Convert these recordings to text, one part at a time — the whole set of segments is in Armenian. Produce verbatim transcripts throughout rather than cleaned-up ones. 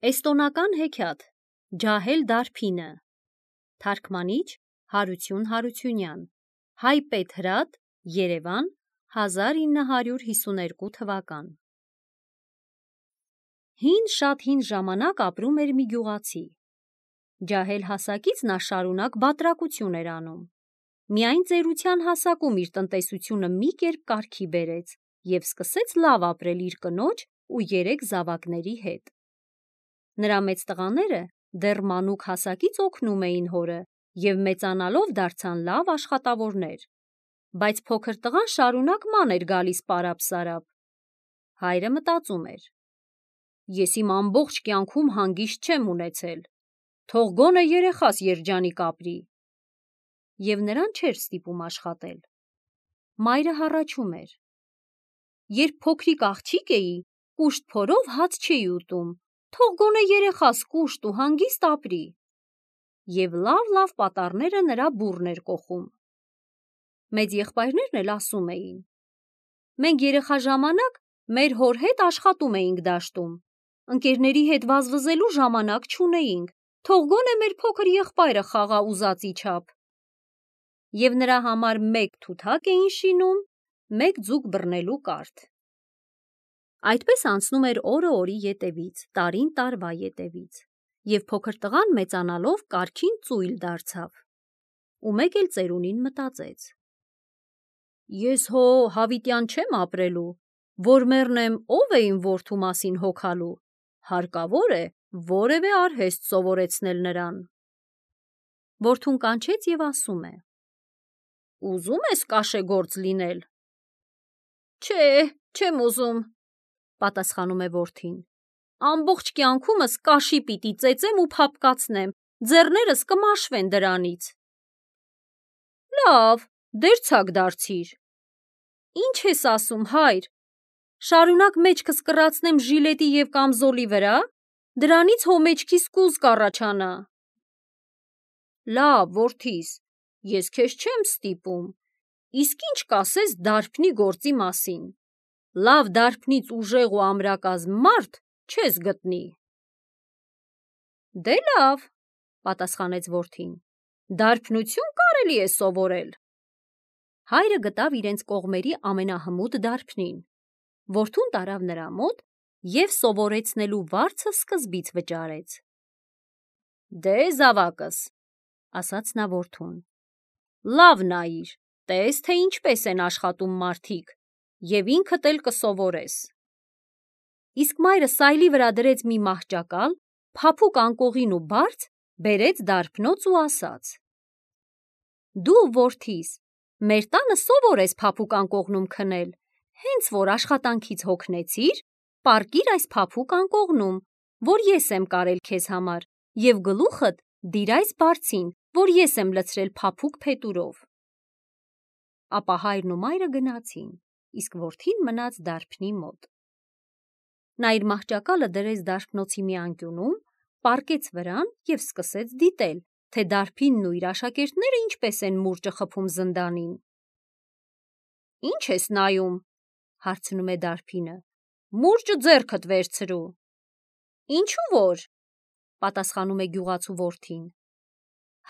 Էստոնական հեքիաթ Ջահել Դարփինը Թարգմանիչ Հարություն Հարությունյան Հայ Պետհրատ Երևան հազար ինը հարյուր հիսուներկու թվական Հին շատ հին ժամանակ ապրում էր մի գյուղացի։ Ջահել հասակից նա շարունակ բատրակություն էր անում։ Միայն ծերության հասակում իր տնտեսությունը մի կերպ կարգի բերեց և սկսեց լավ ապրել իր կնոջ ու երեք զավակների հետ։ Նրա մեծ տղաները դեռ մանուկ հասակից օգնում էին հորը և մեծանալով դարձան լավ աշխատավորներ, բայց փոքր տղան շարունակ ման էր գալիս պարապ-սարապ։ Հայրը մտածում էր. «Ես իմ ամբողջ կյանքում հանգիստ չեմ ունեցել, թող գոնե երեխաս երջանիկ ապրի»։ Եվ նրան չէր ստիպում աշխատել։ Մայրը հառաչում էր. «Երբ փոքրիկ աղջիկ էի, կուշտ փորով հաց չէի ուտում, թող գոնե երեխաս կուշտ ու հանգիստ ապրի»։ Եվ լավ-լավ պատառները նրա բուռն էր կոխում։ Մեծ եղբայրներն էլ ասում էին. «Մենք երեխա ժամանակ մեր հոր հետ աշխատում էինք դաշտում, ընկերների հետ վազվզելու ժամանակ չունեինք, թող գոնե մեր փոքր եղբայրը խաղա ուզածի չափ»։ Եվ նրա համար մեկ թութակ էին շինում, մեկ ձուկ բռնելու կարթ։ Այդպես անցնում էր օրը օրի ետևից, տարին տարվա ետևից, և փոքր տղան մեծանալով կարգին ծույլ դարձավ։ Ու մեկ էլ ծերունին մտածեց. «Ես հո հավիտյան չեմ ապրելու, որ մեռնեմ, ով է իմ որդու մասին հոգալու, հարկավոր է որևէ արհեստ սովորեցնել նրան»։ Որդուն կանչեց և ասում է. «Ուզո՞ւմ ես կաշեգործ լինել»։ «Չէ, չեմ ուզում», պատասխանում է որդին, «ամբողջ կյանքումս կաշի պիտի ծեծեմ ու փափկացնեմ, ձեռներս կմաշվեն դրանից»։ «Լավ, դերձակ դարձիր»։ «Ինչ ես ասում, հայր, շարունակ մեջքս կռացնեմ ժիլետի և կամզոլի վրա, դրանից հո մեջքիս կուզ կառաջանա»։ «Լավ, որդիս, ես քեզ չեմ ստիպում, իսկ ի՞նչ կասես դարբնի գործի մասին, լավ դարբնից ուժեղ ու ամրակազմ մարդ չես գտնի»։ «Դե լավ», պատասխանեց որդին, «դարբնություն կարելի է սովորել»։ Հայրը գտավ իրենց կողմերի ամենահմուտ դարբնին, որդուն տարավ նրա մոտ և սովորեցնելու վարձը սկզբից վճարեց։ «Դե զավակս», ասաց նա որդուն, «լավ նայիր, տես, թե ինչպես են աշխատում մարդիկ, և ինքդ էլ կսովորես»։ Իսկ մայրը սայլի վրա դրեց մի մահճակալ, փափուկ անկողին ու բարձ, բերեց դարբնոց ու ասաց. «Դու, որդիս, մեր տանը սովոր ես փափուկ անկողնում քնել, հենց որ աշխատանքից հոգնեցիր, պառկիր այս փափուկ անկողնում, որ ես եմ կարել քեզ համար, և գլուխդ դիր այս բարձին, որ ես եմ լցրել փափուկ փետուրով»։ Ապա հայրն ու մայրը գնացին, իսկ որդին մնաց դարբնի մոտ։ Նա իր մահճակալը դրեց դարբնոցի մի անկյունում, պառկեց վրան և սկսեց դիտել, թե դարբինն ու իր աշակերտները ինչպես են մուրճը խփում զնդանին։ «Ի՞նչ ես նայում», հարցնում է դարբինը, «մուրճը ձեռքդ վերցրու»։ «Ինչու որ», պատասխանում է գյուղացու որդին,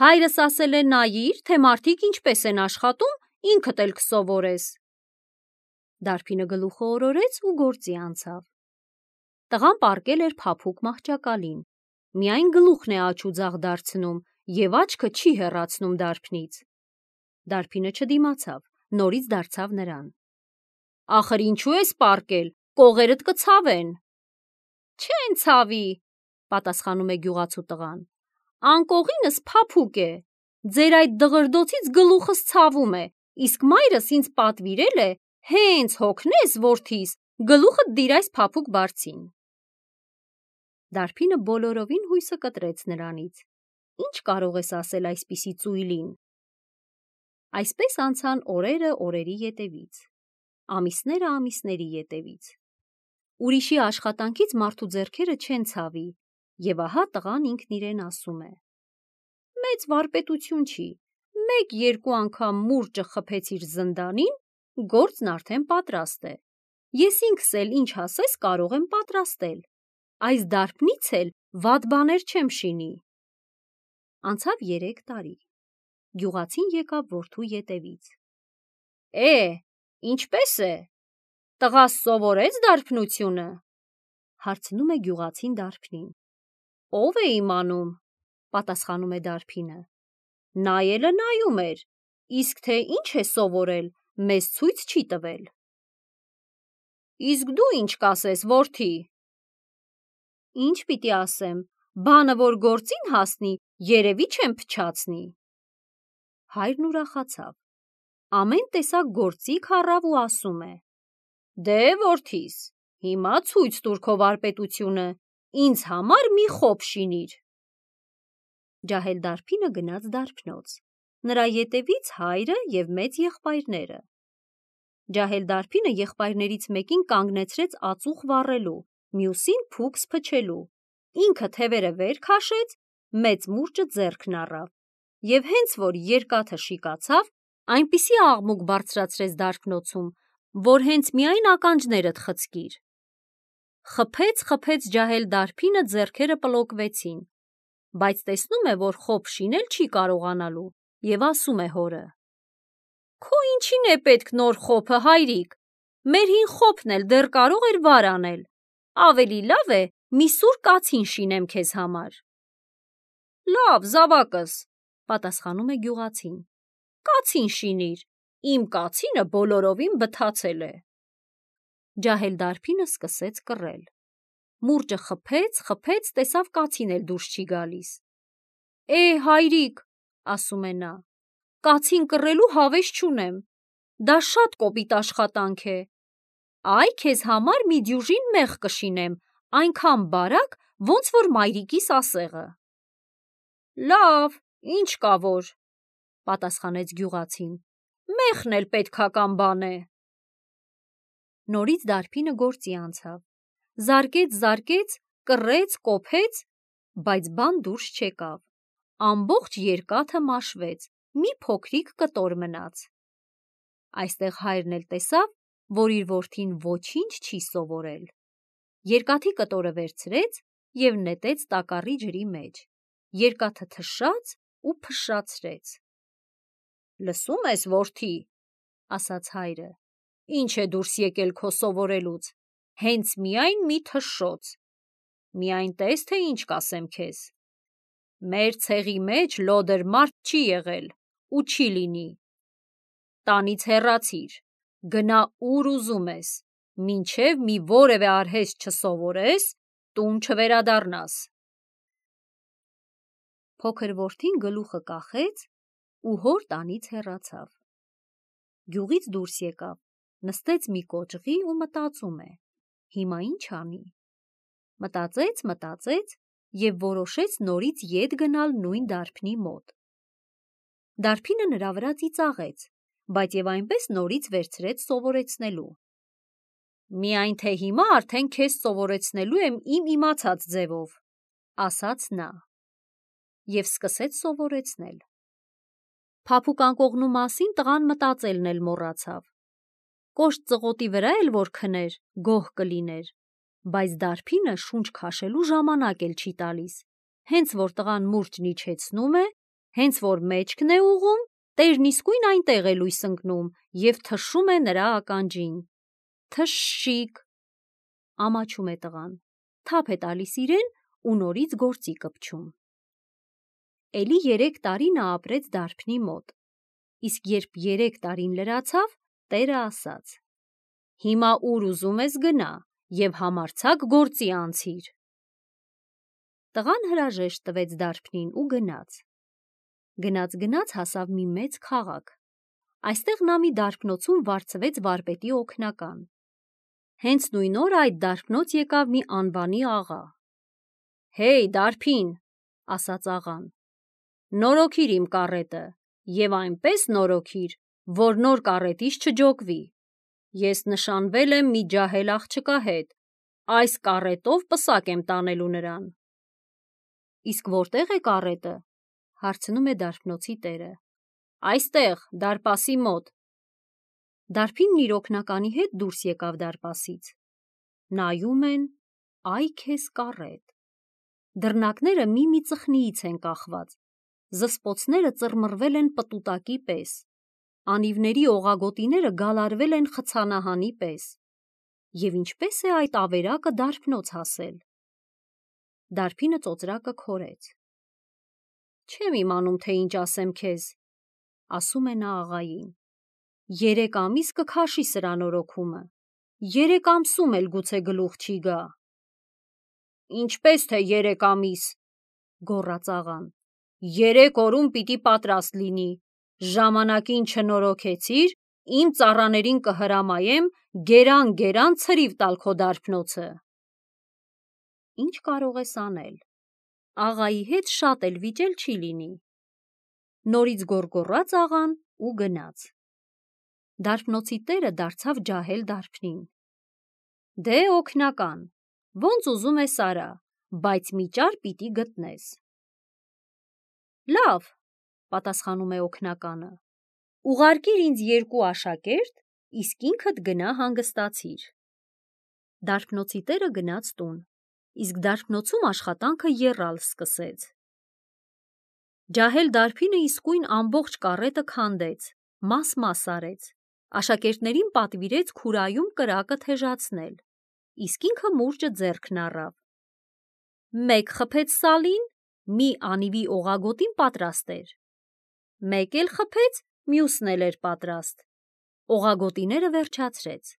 «հայրս ասել է նայիր, թե մարդիկ ինչպես են աշխատում, ինքդ էլ կսովորես»։ Դարբինը գլուխը օրորեց ու գործի անցավ։ Տղան պառկել էր փափուկ մահճակալին, միայն գլուխն է աջ ու ձախ դարձնում և աչքը չի հեռացնում դարբնից։ Դարբինը չդիմացավ, նորից դարձավ նրան. «Ախր ինչու ես պառկել, կողերդ կցավեն»։ «Չեն ցավի», պատասխանում է գյուղացու տղան, «անկողինս փափուկ է, ձեր այդ դղրդոցից գլուխս ցավում է, իսկ մայրս ինձ պատվիրել է, հենց հոգնես, որդիս, գլուխդ դիր այս փափուկ բարձին»։ Դարբինը բոլորովին հույսը կտրեց նրանից. «Ի՞նչ կարող ես ասել այսպիսի ծույլին»։ Այսպես անցան օրերը օրերի ետևից, ամիսները ամիսների ետևից։ Ուրիշի աշխատանքից մարդու ձեռքերը չեն ցավի, և ահա տղան ինքն իրեն ասում է. «Մեծ վարպետություն չի, մեկ-երկու անգամ մուրճը խփեցիր զնդանին, գործն արդեն պատրաստ է, ես ինքս էլ ինչ ասես կարող եմ պատրաստել, այս դարբնից էլ վատ բաներ չեմ շինի։ Անցավ երեք տարի։ Գյուղացին եկավ որդու ետևից։ Է, ինչպես է, տղաս սովորեց դարբնությունը, հարցնում է գյուղացին դարբնին։ Ով է իմանում, պատասխանում է դարբինը։ Նայելը նայում էր, իսկ թե ինչ է սովորել, մեզ ցույց չի տվել։ Իսկ դու ինչ կասես, որդի։ Ինչ պիտի ասեմ, բանը որ գործին հասնի, երևի չեմ փչացնի։ Հայրն ուրախացավ, ամեն տեսակ գործիք առավ ու ասում է. Դե որդիս, հիմա ցույց տուր քո վարպետությունը, ինձ համար մի խոփ շինիր։ Ջահել դարբինը գնաց դարբնոց, նրա ետևից հայրը և մեծ եղբայրները։ Ջահել դարբինը եղբայրներից մեկին կանգնեցրեց ածուխ վառելու, մյուսին փուքս փչելու, ինքը թևերը վեր քաշեց, մեծ մուրճը ձեռքն առավ, և հենց որ երկաթը շիկացավ, այնպիսի աղմուկ բարձրացրեց դարբնոցում, որ հենց միայն ականջներդ խցկիր։ Խփեց, խփեց ջահել դարբինը, ձեռքերը պլոկվեցին, բայց տեսնում է, որ խոփ շինել չի կարողանալու, և ասում է հորը. Քո ինչին է պետք նոր խոփը, հայրիկ, մեր հին խոփն էլ դեռ կարող էր վար անել, ավելի լավ է մի սուր կացին շինեմ քեզ համար։ Լավ, զավակս, պատասխանում է գյուղացին, կացին շինիր, իմ կացինը բոլորովին բթացել է։ Ջահել դարբինը սկսեց կռել, մուրճը խփեց, խփեց, տեսավ կացին էլ դուրս չի գալիս։ Է, հայրիկ, ասում է նա, կացին կռելու հավես չունեմ, դա շատ կոպիտ աշխատանք է, այ քեզ համար մի դյուժին մեղ կշինեմ, այնքան բարակ, ոնց որ մայրիկիս ասեղը։ Լավ, ինչ կա որ, պատասխանեց գյուղացին, մեխն էլ պետքական բան է։ Նորից դարբինը գործի անցավ, զարկեց, զարկեց, կռեց, կոփեց, բայց բան դուրս չեկավ, ամբողջ երկաթը մաշվեց, մի փոքրիկ կտոր մնաց։ Այստեղ հայրն էլ տեսավ, որ իր որդին ոչինչ չի սովորել, երկաթի կտորը վերցրեց և նետեց տակառի ջրի մեջ, երկաթը թշաց ու փշրացրեց։ Լսում ես, որդի, ասաց հայրը, ինչ է դուրս եկել քո սովորելուց, հենց միայն մի թշշոց, միայն տես, թե ինչ կասեմ քեզ։ Մեր ցեղի մեջ լոդր մարդ չի եղել ու չի լինի։ Տանից հեռացիր, գնա ուր ուզում ես, մինչև մի որևէ արհեստ չսովորես, տուն չվերադառնաս։ Փոքր որդին գլուխը կախեց ու հոր տանից հեռացավ։ Գյուղից դուրս եկավ, նստեց մի կոճղի ու մտածում է. հիմա ինչ անի։ Մտածեց, մտածեց և որոշեց նորից ետ գնալ նույն դարբնի մոտ։ Դարբինը նրա վրա ծիծաղեց, բայց և այնպես նորից վերցրեց սովորեցնելու։ Միայն թե հիմա արդեն քեզ սովորեցնելու եմ իմ իմացած ձևով, ասաց նա, և սկսեց սովորեցնել։ Փափուկ անկողնու մասին տղան մտածելն էլ մոռացավ։ Կոշտ ծղոտի վրա էլ որ քներ, գոհ կլիներ, բայց դարբինը շունչ քաշելու ժամանակ էլ չի տալիս, հենց որ տղան մուրճն իջեցնում է, հենց որ մեջքն է ուղղում, տերն իսկույն այնտեղ է լույս ընկնում և թշում է նրա ականջին։ Թշշիկ, ամաչում է տղան, թափ է տալիս իրեն ու նորից գործի կպչում։ Էլի երեք տարի նա ապրեց դարբնի մոտ, իսկ երբ երեք տարին լրացավ, տերը ասաց. հիմա ուր ուզում ես գնա և համարձակ գործի անցիր։ Տղան հրաժեշտ տվեց դարբնին ու գնաց։ Գնաց-գնաց հասավ մի մեծ քաղաք, այստեղ նա մի դարբնոցում վարձվեց վարպետի օգնական։ Հենց նույն օրը այդ դարբնոց եկավ մի անվանի աղա։ Հեյ, դարբին, ասաց աղան, նորոգիր իմ կառետը և այնպես նորոգիր, որ նոր կառետից չջոկվի։ Ես նշանվել եմ մի ջահել աղջկա հետ, այս կառետով պսակ եմ տանելու նրան։ Իսկ որտե՞ղ է կառետը, հարցնում է դարբնոցի տերը։ Այստեղ, դարպասի մոտ։ Դարբինն իր օգնականի հետ դուրս եկավ դարպասից։ Նայում են, այ քեզ կառետ։ Դռնակները մի-մի ծխնիից են կախված, զսպոցները ծռմռվել են պտուտակի պես, անիվների օղագոտիները գալարվել են խցանահանի պես։ Եվ ինչպես է այդ ավերակը դարբնոց հասել։ Դարբինը ծոծրակը քորեց։ Չեմ իմանում, թե ինչ ասեմ քեզ, ասում է նա աղային։ Երեք ամիս կքաշի սրա նորոգումը, երեք ամսում էլ գուցե գլուխ չի գա։ Ինչպես թե երեք ամիս, գոռաց աղան, երեք օրում պիտի պատրաստ լինի, ժամանակին չնորոգեցիր, իմ ծառաներին կհրամայեմ գերան-գերան ցրիվ տալ քո դարբնոցը։ Ինչ կարող ես անել, աղայի հետ շատ էլ վիճել չի լինի։ Նորից գոռգոռաց աղան ու գնաց։ Դարբնոցի տերը դարձավ ջահել դարբնին։ Դե օգնական, ոնց ուզում ես արա, բայց մի ճար պիտի գտնես։ Լավ, պատասխանում է օգնականը, ուղարկիր ինձ երկու աշակերտ, իսկ ինքդ գնա հանգստացիր։ Դարբնոցի տերը գնաց տուն, իսկ դարբնոցում աշխատանքը եռալ սկսեց։ Ջահել դարբինը իսկույն ամբողջ կառետը քանդեց, մաս-մաս արեց, աշակերտներին պատվիրեց քուրայում կրակը թեժացնել, իսկ ինքը մուրճը ձեռքն առավ։ Մեկ խփեց սալին, մի անիվի օղագոտին պատրաստ էր։ Մեկ էլ խփեց, մյուսն էլ էր պատրաստ։ Օղագոտիները վերջացրեց,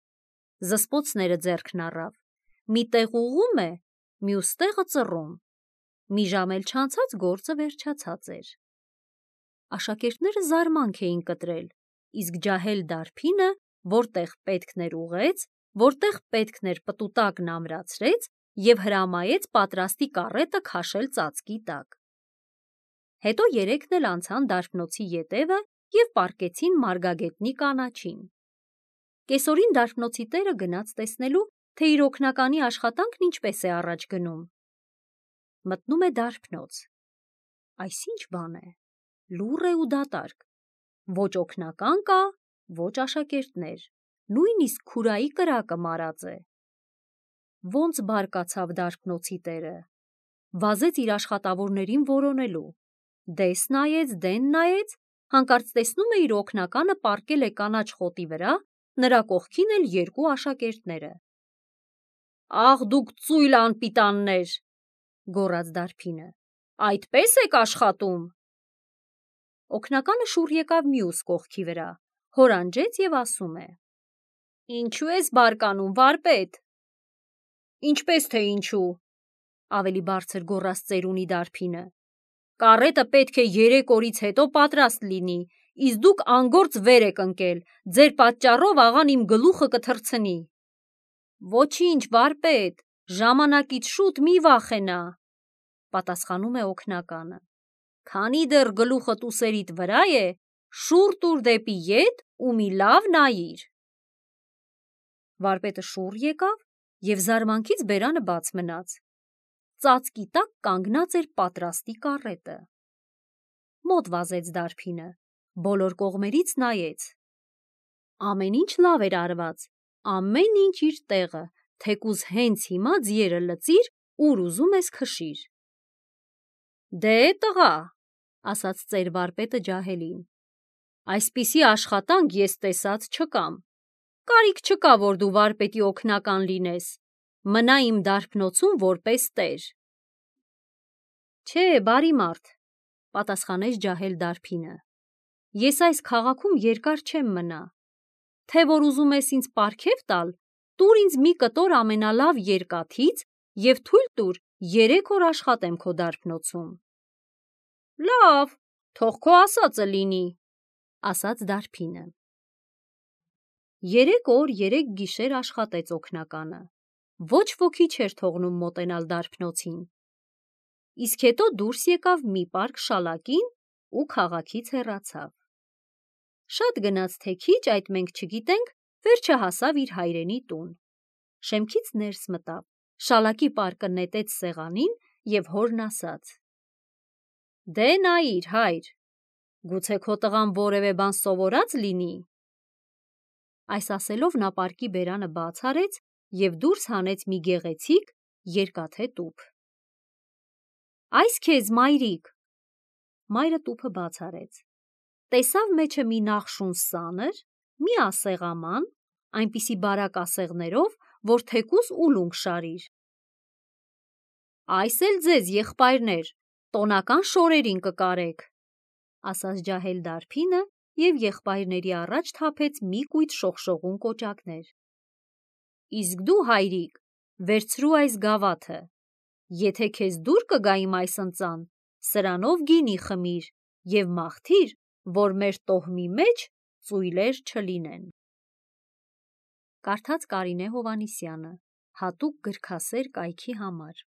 զսպոցները ձեռքն առավ, մի տեղ ուղղում է, մյուս տեղը ծռում։ Մի ժամ էլ չանցած գործը վերջացած էր։ Աշակերտները զարմանք էին կտրել, իսկ ջահել դարբինը որտեղ պետքն էր ուղղեց, որտեղ պետքն էր պտուտակն ամրացրեց և հրամայեց պատրաստի կառետը քաշել ծածկի տակ։ Հետո երեքն էլ անցան դարբնոցի ետևը և պառկեցին մարգագետնի կանաչին։ Կեսօրին դարբնոցի տերը գնաց տեսնելու, թե իր օգնականի աշխատանքն ինչպես է առաջ գնում։ Մտնում է դարբնոց։ Այս ինչ բան է, լուռ է ու դատարկ, ոչ օգնական կա, ոչ աշակերտներ, նույնիսկ քուրայի կրակը մարած է։ Ոնց բարկացավ դարբնոցի տերը, վազեց իր աշխատավորներին որոնելու, դես նայեց, դեն նայեց, հանկարծ տեսնում է իր օգնականը պառկել է կանաչ խոտի վրա, նրա կողքին էլ երկու աշակերտները։ Աղ դուք ծույլ անպիտաններ, գոռաց դարբինը, այդպես եք աշխատում։ Օգնականը շուռ եկավ մյուս կողքի վրա, հորանջեց և ասում է. Ինչու ես բարկանում, վարպետ։ Ինչպես թե ինչու, ավելի բարձր գոռաց ծերունի դարբինը, կառետը պետք է երեք օրից հետո պատրաստ լինի, իսկ դուք անգործ վեր եք ընկել, ձեր պատճառով աղան իմ գլուխը կթռցնի։ Ոչինչ, վարպետ, ժամանակից շուտ մի վախենա, պատասխանում է օգնականը, քանի դեռ գլուխդ ուսերիդ վրա է, շուռ տուր դեպի ետ ու մի լավ նայիր։ Վարպետը շուռ եկավ և զարմանքից բերանը բաց մնաց։ Ծածկի տակ կանգնած էր պատրաստի կառետը։ Մոտ վազեց դարբինը, բոլոր կողմերից նայեց։ Ամեն ինչ լավ էր արված, ամեն ինչ իր տեղը, թեկուզ հենց հիմա ձիերը լծիր, ուր ուզում ես քշիր։ Դե տղա, ասաց ծեր վարպետը ջահելին, այսպիսի աշխատանք ես տեսած չկամ, կարիք չկա, որ դու վարպետի օգնական լինես, մնա իմ դարբնոցում որպես տեր։ Չէ, բարի մարդ, պատասխանեց ջահել դարբինը, ես այս քաղաքում երկար չեմ մնա, թե որ ուզում ես ինձ պարգև տալ, տուր ինձ մի կտոր ամենալավ երկաթից և թույլ տուր երեք օր աշխատեմ քո դարբնոցում։ Լավ, թող քո ասածը լինի, ասաց դարբինը։ Երեք օր, երեք գիշեր աշխատեց օգնականը, ոչ ոքի չէր թողնում մոտենալ դարբնոցին։ Իսկ հետո դուրս եկավ մի պարկ շալակին ու քաղաքից հեռացավ։ Շատ գնաց թե քիչ, այդ մենք չգիտենք, վերջը հասավ իր հայրենի տուն։ Շեմքից ներս մտավ, շալակի պարկը նետեց սեղանին և հորն ասաց. Դե նայիր, հայր, գուցե քո տղան որևէ բան սովորած լինի։ Այս ասելով նա պարկի բերանը բաց արեց և դուրս հանեց մի գեղեցիկ, երկաթե տուփ։ Այս քեզ, մայրիկ։ Մայրը տուփը բաց արեց։ Տեսավ մեջը մի նախշուն սանր, մի ասեղաման, այնպիսի բարակ ասեղներով, որ թեկուզ ուլունք շարիր։ Այս էլ ձեզ, եղբայրներ, տոնական շորերին կկարեք, ասաց ջահել դարբինը և եղբայրների առաջ թափեց մի կույտ շողշողուն կոճակներ։ Իսկ դու, հայրիկ, վերցրու այս գավաթը, եթե քեզ դուր կգա իմ այս ընծան, սրանով գինի խմիր և մաղթիր, որ մեր տոհմի մեջ ծույլեր չլինեն։ Կարդաց Կարինե Հովհաննիսյանը, հատուկ գրքասեր կայքի համար։